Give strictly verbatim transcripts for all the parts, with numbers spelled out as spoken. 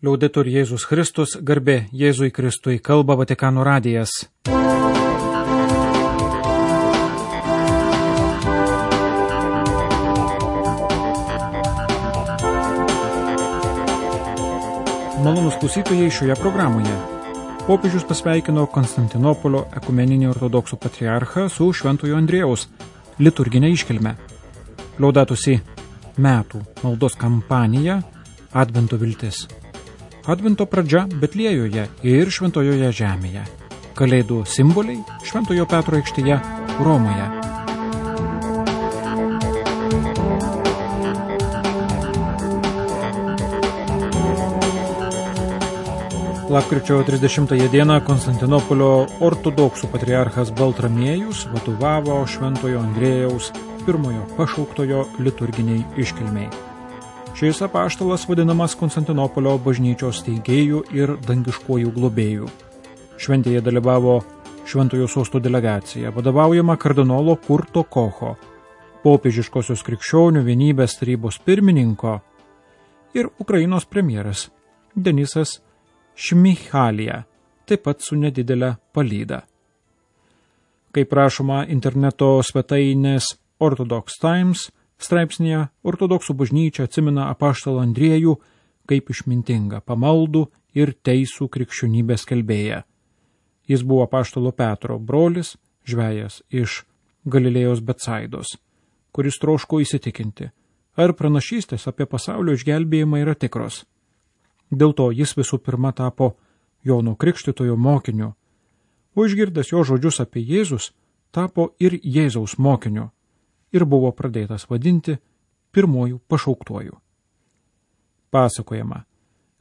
Liaudetur Jėzus Kristus, garbė Jėzui Kristui, kalba Vatikano radijas. Malonūs klausytojai šioje programoje. Popiežius pasveikino Konstantinopolio ekumeninį ortodoksų patriarchą su Šventojo Andriejaus liturginė iškilme. Laudatus si metų maldos kampanija Advento viltis. Advento pradžia Betliejoje ir Šventojoje žemėje. Kalėdų simboliai Šventojo Petro aikštėje Romoje. Lapkričio trisdešimtąją dieną Konstantinopolio ortodoksų patriarchas Baltramiejus vadovavo Šventojo Andriejaus pirmojo pašauktojo liturginiai iškilmei. Šis apaštalas vadinamas Konstantinopolio bažnyčios steigėjų ir dangiškojų globėjų. Šventėje dalyvavo Šventojo sosto delegacija, vadovaujama kardinolo Kurto Kocho, popiežiškosios krikščionių vienybės tarybos pirmininko ir Ukrainos premjeras Denisas Šmychalija, taip pat su nedidelė palyda. Kaip rašoma interneto svetainės Orthodox Times, straipsnėje ortodoksų bažnyčia atsimena apaštalą Andriejų kaip išmintingą, pamaldų ir teisų krikščionybės skelbėją. Jis buvo apaštalo Petro brolis, žvejas iš Galilėjos Betsaidos, kuris troško įsitikinti, ar pranašystės apie pasaulio išgelbėjimą yra tikros. Dėl to jis visų pirma tapo Jono Krikštytojo mokiniu, o išgirdęs jo žodžius apie Jėzus, tapo ir Jėzaus mokiniu ir buvo pradėtas vadinti pirmojų pašauktuoju. Pasakojama,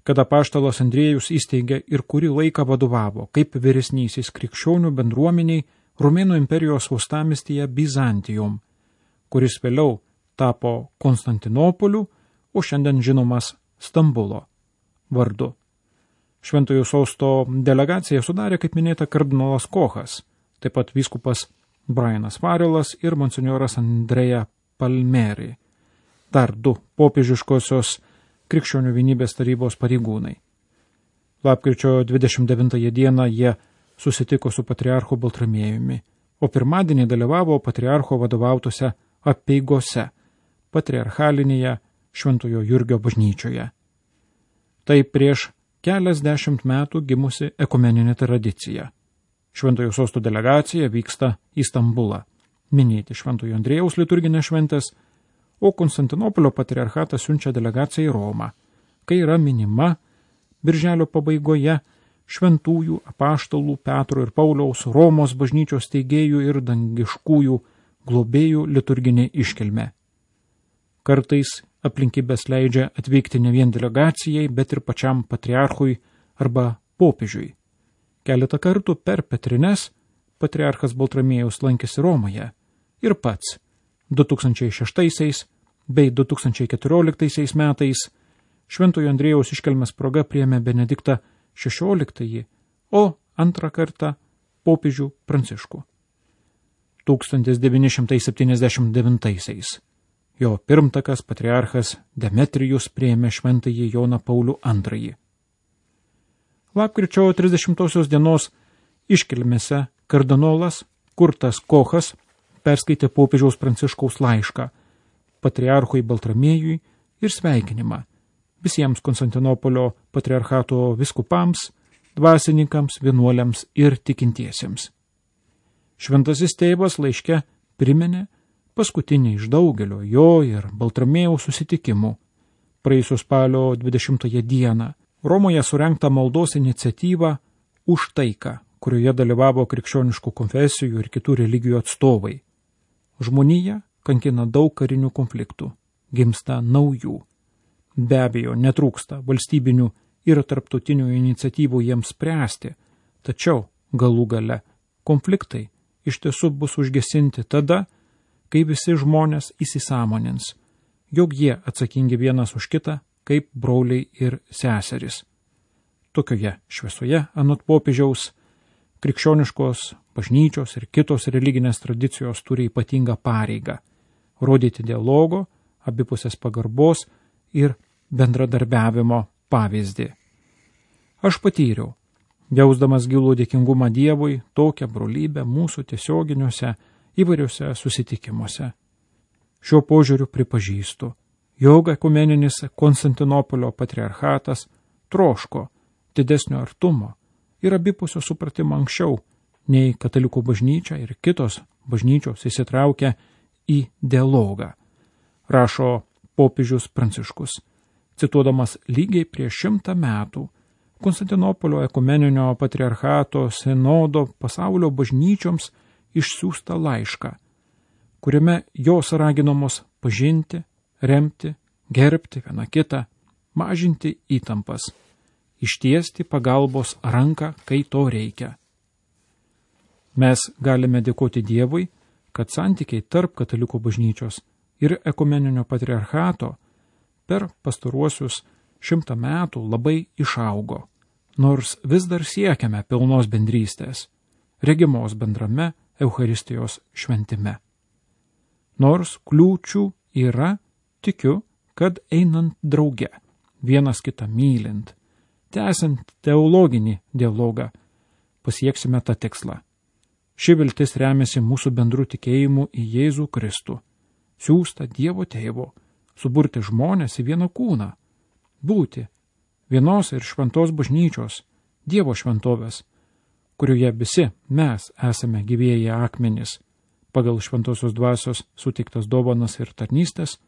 kad apaštalas Andriejus įsteigė ir kurį laiką vadovavo kaip vyresnysis krikščionių bendruomeniai Romėnų imperijos uostamiestyje Bizantijum, kuris vėliau tapo Konstantinopoliu, o šiandien žinomas Stambulo vardu. Šventojo sosto delegaciją sudarė, kaip minėta, kardinolas Kochas, taip pat vyskupas Brianas Varelas ir monsinjoras Andreja Palmeri, dar du popiežiškosios krikščionių vienybės tarybos pareigūnai. Lapkričio dvidešimt devintąją dieną jie susitiko su patriarchu Baltramiejumi, o pirmadienį dalyvavo patriarcho vadovautose apeigose patriarchalinėje Šventojo Jurgio bažnyčioje. Tai prieš keliasdešimt metų gimusi ekumeninė tradicija. Šventojo sosto delegacija vyksta į Stambulą, minėti Šventojo Andriejaus liturginės šventės, o Konstantinopolio patriarchatas siunčia delegaciją į Romą, kai yra minima birželio pabaigoje šventųjų apaštalų Petro ir Pauliaus Romos bažnyčios steigėjų ir dangiškųjų globėjų liturginė iškilmė. Kartais aplinkybės leidžia atvykti ne vien delegacijai, bet ir pačiam patriarchui arba popiežiui. Keletą kartų per Petrines patriarchas Baltramiejus lankėsi Romoje ir pats du tūkstančiai šeštaisiais bei du tūkstančiai keturioliktaisiais metais Šventojo Andriejaus iškilmės proga priėmė Benediktą šešioliktąjį, o antrą kartą popiežių Pranciškų. tūkstantis devyni šimtai septyniasdešimt devintaisiais jo pirmtakas patriarchas Demetrijus priėmė šventąjį Joną Paulių antrąjį. Lapkričio trisdešimtosios dienos iškilmėse kardinolas Kurtas Kochas perskaitė popiežiaus Pranciškaus laišką patriarchui Baltramiejui ir sveikinimą visiems Konstantinopolio patriarchato viskupams, dvasininkams, vienuoliams ir tikintiesiems. Šventasis tėvas laiške priminė paskutinį iš daugelio jo ir Baltramiejaus susitikimų praėjusio spalio dvidešimtąją dieną Romoje surengta maldos iniciatyva už taiką, kurioje dalyvavo krikščioniškų konfesijų ir kitų religijų atstovai. Žmonija kankina daug karinių konfliktų, gimsta naujų. Be abejo, netrūksta valstybinių ir tarptautinių iniciatyvų jiems spręsti, tačiau galų gale konfliktai iš tiesų bus užgesinti tada, kai visi žmonės įsisąmonins, jog jie atsakingi vienas už kitą, kaip broliai ir seserys. Tokioje šviesoje, anot popiežiaus, krikščioniškos bažnyčios ir kitos religinės tradicijos turi ypatingą pareigą rodyti dialogo, abipusės pagarbos ir bendradarbiavimo pavyzdį. Aš patyriau, jausdamas gilų dėkingumą Dievui, tokią brolybę mūsų tiesioginiuose įvairiuose susitikimuose. Šiuo požiūriu pripažįstu, jog ekumeninis Konstantinopolio patriarchatas troško didesnio artumo ir abipusio supratimo anksčiau, nei katalikų bažnyčia ir kitos bažnyčios įsitraukia į dialogą, rašo popiežius Pranciškus, cituodamas lygiai prieš šimtą metų Konstantinopolio ekumeninio patriarchato sinodo pasaulio bažnyčioms išsiųstą laišką, kuriame jos raginamos pažinti, remti, gerbti vieną kitą, mažinti įtampas, ištiesti pagalbos ranką, kai to reikia. Mes galime dėkoti Dievui, kad santykiai tarp katalikų bažnyčios ir ekumeninio patriarchato per pastaruosius šimtą metų labai išaugo, nors vis dar siekiame pilnos bendrystės, regimos bendrame Eucharistijos šventime. Nors kliūčių yra, tikiu, kad einant drauge, vienas kitą mylint, tęsiant teologinį dialogą, pasieksime tą tikslą. Ši viltis remiasi mūsų bendrų tikėjimu į Jėzų Kristų, siųstą Dievo Tėvo, suburti žmonės į vieną kūną, būti vienos ir šventos bažnyčios, Dievo šventovės, kurioje visi mes esame gyvieji akmenys, pagal šventosios dvasios suteiktas dovanas ir tarnystės,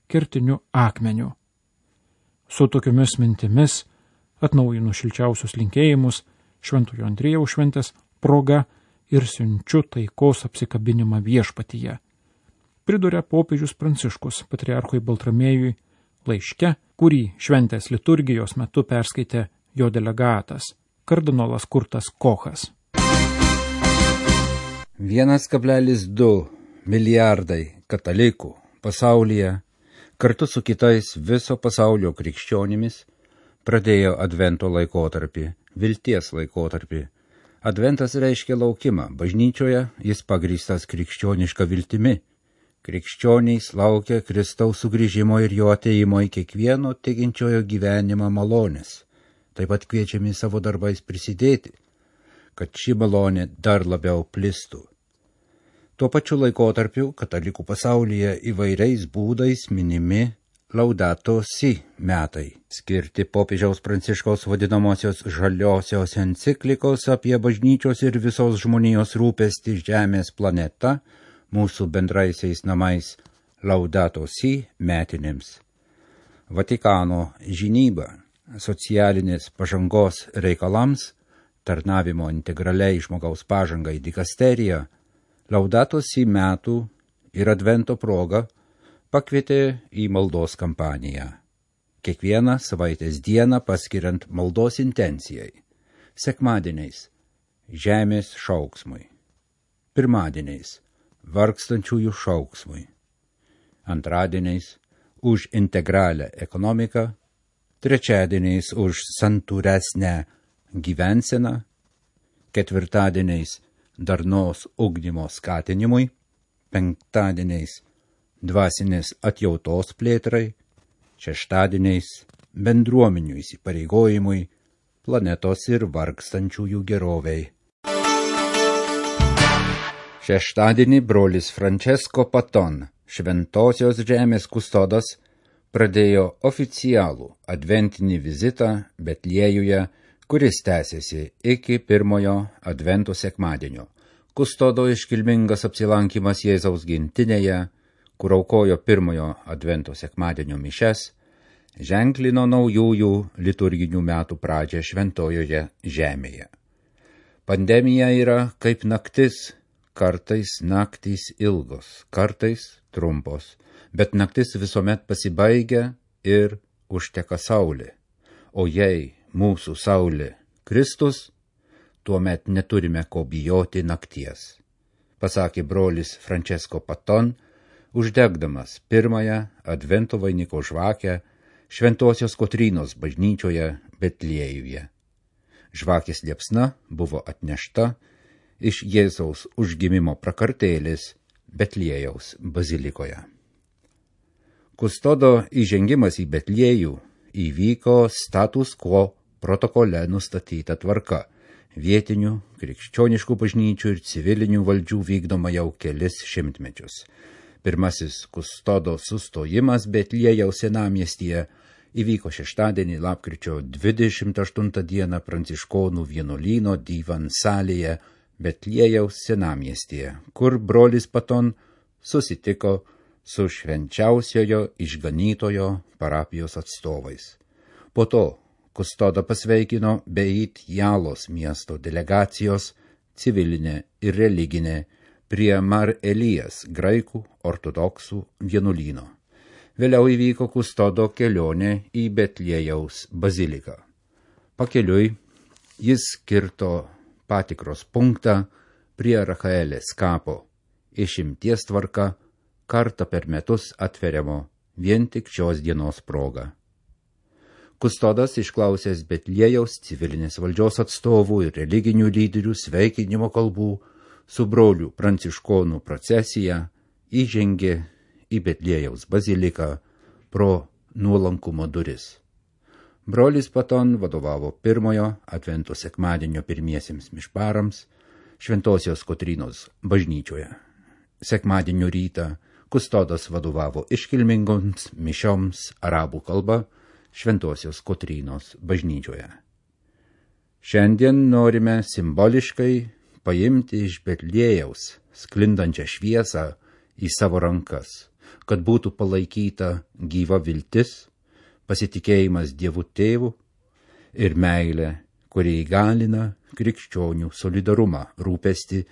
kertiniu akmeniu. Su tokiomis mintimis atnaujinu šilčiausius linkėjimus Šventojo Andriejaus šventės proga ir siunčiu taikos apsikabinimą viešpatyje. Priduria popiežius Pranciškus patriarchui Baltramiejui laiške, kurį šventės liturgijos metu perskaitė jo delegatas, kardinolas Kurtas Kochas. vienas kablelis du milijardai katalikų pasaulyje kartu su kitais viso pasaulio krikščionimis pradėjo advento laikotarpį, vilties laikotarpį. Adventas reiškia laukimą. Bažnyčioje jis pagrįstas krikščioniška viltimi. Krikščionys laukia Kristaus sugrįžimo ir jo ateimo į kiekvieno tikinčiojo gyvenimą malonės. Taip pat kviečiami savo darbais prisidėti, kad ši malonė dar labiau plistų. Tuo pačiu laikotarpiu katalikų pasaulyje įvairiais būdais minimi Laudato Si metai, skirti popiežiaus Pranciškaus vadinamosios žaliosios enciklikos apie bažnyčios ir visos žmonijos rūpestį žemės planeta, mūsų bendraisiais namais Laudato Si metinėms. Vatikano žinyba socialinės pažangos reikalams, tarnavimo integraliai žmogaus pažangai dikasterija, Laudato Si metų ir advento proga pakvietė į maldos kampaniją. Kiekvieną savaitės dieną paskiriant maldos intencijai. Sekmadieniais žemės šauksmui. Pirmadieniais vargstančiųjų šauksmui. Antradieniais už integralią ekonomiką. Trečiadieniais už santūresnę gyvenseną. Ketvirtadieniais darnos ugdymo skatinimui. Penktadieniais dvasinės atjautos plėtrai, šeštadieniais bendruomenių įsipareigojimui, planetos ir vargstančiųjų geroviai. Šeštadienį brolis Francesco Paton, šventosios žemės kustodas, pradėjo oficialų adventinį vizitą Betliejuje, kuris tęsiasi iki pirmojo advento sekmadienio. Kustodo iškilmingas apsilankymas Jėzaus gimtinėje, kur aukojo pirmojo advento sekmadienio mišes, ženklino naujųjų liturginių metų pradžią šventojoje žemėje. Pandemija yra kaip naktis, kartais naktys ilgos, kartais trumpos, bet naktis visuomet pasibaigia ir užteka saulė. O jei mūsų saulė Kristus, tuomet neturime ko bijoti nakties, pasakė brolis Francesco Paton, uždegdamas pirmąją advento vainiko žvakę Šventosios Kotrynos bažnyčioje Betliejuje. Žvakės liepsna buvo atnešta iš Jėzaus užgimimo prakartėlės Betliejaus bazilikoje. Kustodo įžengimas į Betliejų įvyko status quo protokole nustatyta tvarka. Vietinių, krikščioniškų bažnyčių ir civilinių valdžių vykdoma jau kelis šimtmečius. Pirmasis kustodo sustojimas Betliejaus senamiestyje įvyko šeštadienį lapkričio dvidešimt aštuntą dieną Pranciškonų vienuolyno Divan salėje Betliejaus senamiestyje, kur brolis Paton susitiko su švenčiausiojo išganytojo parapijos atstovais. Po to kustodą pasveikino Beit Jalos miesto delegacijos civilinė ir religinė prie Mar Elijas graikų ortodoksų vienuolyno. Vėliau įvyko kustodo kelionė į Betliejaus baziliką. Pakeliui jis kirto patikros punktą prie Rachaelės kapo, išimties tvarka kartą per metus atveriamo vien tik šios dienos proga. Kustodas išklausęs Betliejaus civilinės valdžios atstovų ir religinių lyderių sveikinimo kalbų su brolių pranciškonų procesija įžengė į Betliejaus baziliką pro nuolankumo duris. Brolis Paton vadovavo pirmojo Advento sekmadienio pirmiesiems mišparams Šventosios Kotrynos bažnyčioje. Sekmadienio rytą kustodas vadovavo iškilmingoms mišioms arabų kalba Šventosios Kotrynos bažnyčioje. Šiandien norime simboliškai paimti iš Betliejaus sklindančią šviesą į savo rankas, kad būtų palaikyta gyva viltis, pasitikėjimas Dievu Tėvu ir meilė, kurie įgalina krikščionių solidarumą, rūpestį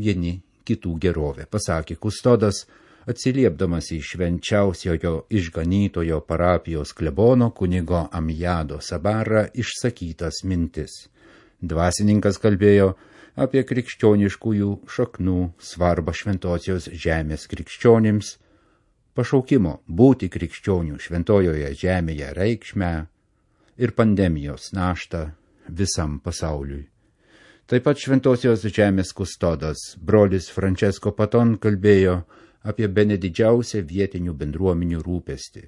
vieni kitų gerovę, pasakė kustodas, atsiliepdamas į švenčiausiojo išganytojo parapijos klebono kunigo Amjado Sabarą išsakytas mintis. Dvasininkas kalbėjo apie krikščioniškųjų šaknų svarbą šventosios žemės krikščionims, pašaukimo būti krikščionių šventojoje žemėje reikšmę ir pandemijos naštą visam pasauliui. Taip pat šventosios žemės kustodas, brolis Francesco Paton, kalbėjo apie bene didžiausią vietinių bendruomenių rūpestį.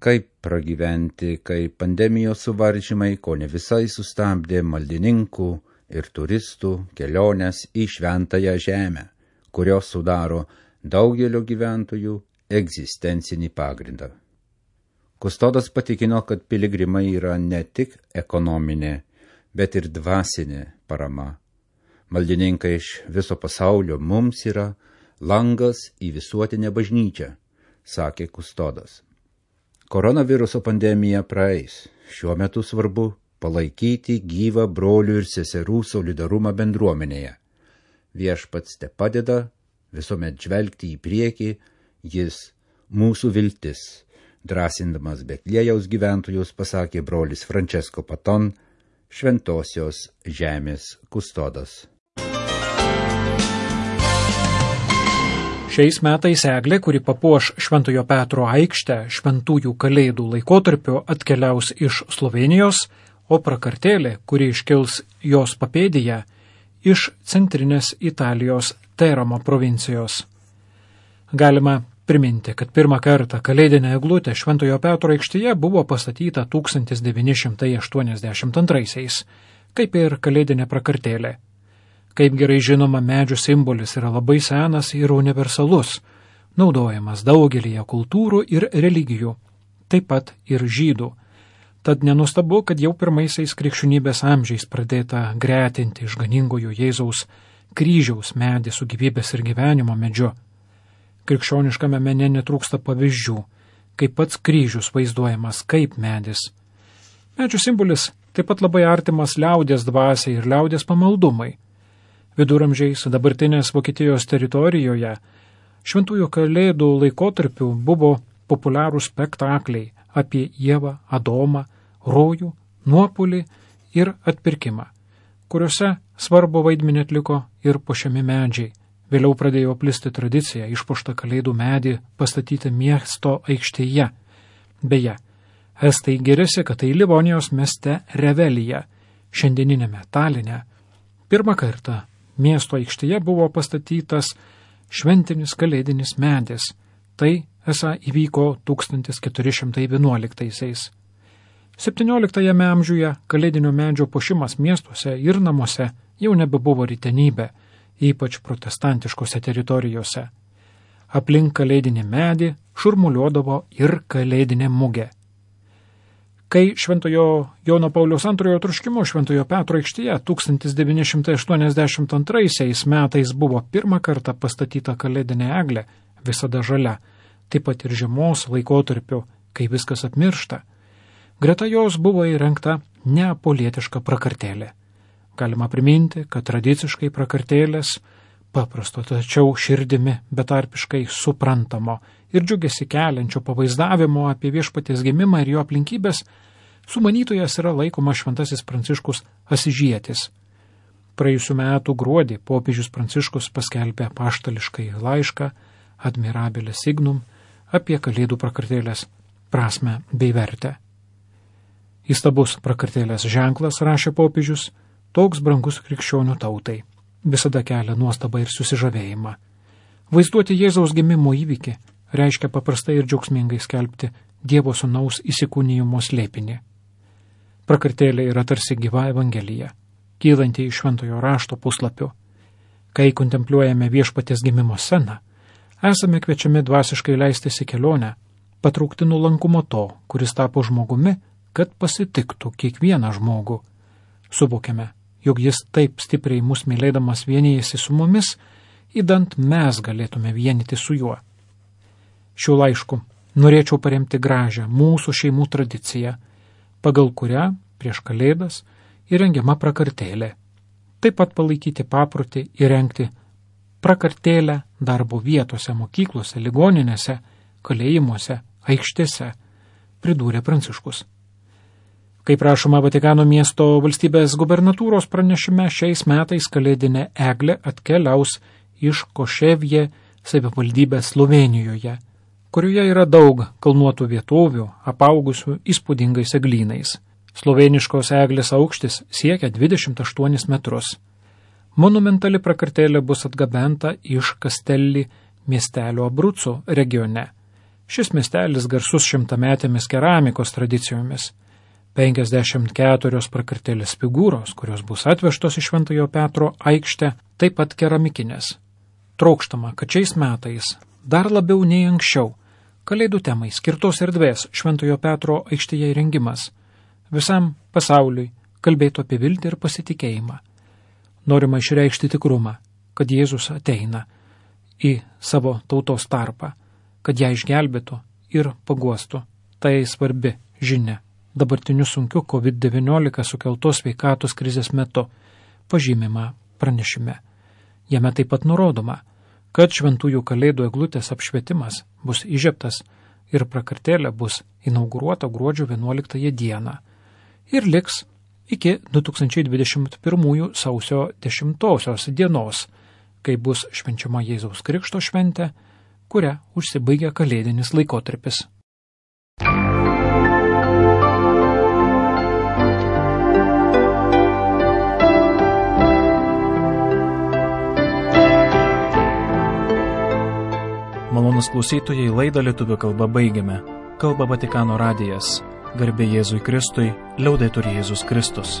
Kaip pragyventi, kai pandemijos suvaržymai ko ne visai sustabdė maldininkų ir turistų keliones į šventąją žemę, kurios sudaro daugelio gyventojų egzistencinį pagrindą. Kustodas patikino, kad piligrimai yra ne tik ekonominė, bet ir dvasinė parama. Maldininkai iš viso pasaulio mums yra langas į visuotinę bažnyčią, sakė kustodas. Koronaviruso pandemija praeis. Šiuo metu svarbu palaikyti gyvą brolių ir seserų solidarumą bendruomenėje. Viešpats te padeda visuomet žvelgti į priekį, jis mūsų viltis. Drąsindamas Betliejaus gyventojus pasakė brolis Francesco Paton, šventosios žemės kustodas. Šiais metais eglė, kuri papuoš Šventojo Petro aikštę šventųjų kalėdų laikotarpiu, atkeliaus iš Slovenijos, o prakartėlė, kuri iškils jos papėdėje, iš centrinės Italijos Teramo provincijos. Galima priminti, kad pirmą kartą kalėdinė eglutė Šventojo Petro aikštėje buvo pastatyta tūkstantis devyni šimtai aštuoniasdešimt antraisiais, kaip ir kalėdinė prakartėlė. Kaip gerai žinoma, medžių simbolis yra labai senas ir universalus, naudojamas daugelyje kultūrų ir religijų, taip pat ir žydų. Tad nenustabu, kad jau pirmaisiais krikščionybės amžiais pradėta gretinti išganingojo Jėzaus kryžiaus medį su gyvybės ir gyvenimo medžiu. Krikščioniškame mene netrūksta pavyzdžių, kaip pats kryžius vaizduojamas kaip medis. Medžių simbolis taip pat labai artimas liaudies dvasiai ir liaudies pamaldumai. Viduramžiais dabartinės Vokietijos teritorijoje šventųjų kalėdų laikotarpiu buvo populiarūs spektakliai apie Ievą, Adomą, rojų, nuopulį ir atpirkimą, kuriuose svarbu vaidmenį atliko ir puošiami medžiai. Vėliau pradėjo plisti tradicija išpuoštą kalėdų medį pastatyti miesto aikštėje. Beje, estai giriasi, kad tai Livonijos mieste Revelija, šiandieninėme Taline, pirmą kartą miesto aikštėje buvo pastatytas šventinis kalėdinis medis. Tai esą įvyko tūkstantis keturi šimtai vienuoliktaisiais. septynioliktajame amžiuje kalėdinio medžio puošimas miestuose ir namuose jau nebebuvo rytenybė, ypač protestantiškose teritorijose. Aplink kalėdinį medį šurmuliuodavo ir kalėdinė mugė. Kai Šventojo Jono Pauliaus antrojo troškimo Šventojo Petro aikštėje tūkstantis devyni šimtai aštuoniasdešimt antraisiais metais buvo pirmą kartą pastatyta kalėdinė eglė, visada žalia, taip pat ir žiemos laikotarpiu, kai viskas apmiršta. Greta jos buvo įrengta neapolietiška prakartėlė. Galima priminti, kad tradiciškai prakartėlės paprasto, tačiau širdimi betarpiškai suprantamo ir džiugesi keliančio pavaizdavimo apie viešpaties gimimą ir jo aplinkybės, sumanytojas yra laikomas Šventasis Pranciškus Asižietis. Praėjusių metų gruodį popiežius Pranciškus paskelbė apaštališkai laišką Admirabile Signum apie kalėdų prakartėlės prasmę bei vertę. Įstabus prakartėlės ženklas, rašė popiežius, toks brangus krikščionių tautai, visada kelia nuostabą ir susižavėjimą. Vaizduoti Jėzaus gimimo įvykį reiškia paprastai ir džiaugsmingai skelbti Dievo sūnaus įsikūnijimo slėpinį. Prakartėlė yra tarsi gyva evangelija, kylanti iš šventojo rašto puslapių. Kai kontempliuojame viešpaties gimimo sceną, esame kviečiami dvasiškai leistis į kelionę, patraukti nuolankumo to, kuris tapo žmogumi, kad pasitiktų kiekvieną žmogų. Suvokiame, jog jis taip stipriai mus mylėdamas vienijasi su mumis, įdant mes galėtume vienyti su juo. Šiuo laišku norėčiau paremti gražią mūsų šeimų tradiciją, pagal kurią prieš kalėdas įrengiama prakartėlė. Taip pat palaikyti paprotį įrengti prakartėlę darbo vietose, mokyklose, ligoninėse, kalėjimuose, aikštėse, pridūrė Pranciškus. Kaip rašoma Vatikano miesto valstybės gubernatūros pranešime, šiais metais kalėdinė eglė atkeliaus iš Koševje savivaldybės Slovėnijoje, kurioje yra daug kalnuotų vietovių, apaugusių įspūdingais eglynais. Slovėniškos eglės aukštis siekia dvidešimt aštuonis metrus. Monumentali prakartėlė bus atgabenta iš Kastelli miestelio Abruzzo regione. Šis miestelis garsus šimtametėmis keramikos tradicijomis. penkiasdešimt keturios prakartėlės figūros, kurios bus atvežtos iš Šventojo Petro aikštę, taip pat keramikinės. Trokštama, kad šiais metais, dar labiau nei anksčiau, kalėdų temai skirtos erdvės Šventojo Petro aikštėje įrengimas visam pasauliui kalbėtų apie viltį ir pasitikėjimą. Norima išreikšti tikrumą, kad Jėzus ateina į savo tautos tarpą, kad ją išgelbėtų ir paguostų. Tai svarbi žinia dabartiniu sunkiu kovid devyniolika sukeltos sveikatos krizės metu, pažymima pranešime. Jame taip pat nurodoma, kad šventųjų kalėdų eglutės apšvietimas bus įžiebtas ir prakartėlė bus inauguruota gruodžio vienuoliktąją dieną ir liks iki du tūkstančiai dvidešimt pirmųjų sausio dešimtosios dienos, kai bus švenčiama Jėzaus Krikšto šventė, kuria užsibaigia kalėdinis laikotarpis. Malonus klausytojai, laidą lietuvių kalba baigiame. Kalba Vatikano radijas. Garbė Jėzui Kristui, liaudetur Jėzus Kristus.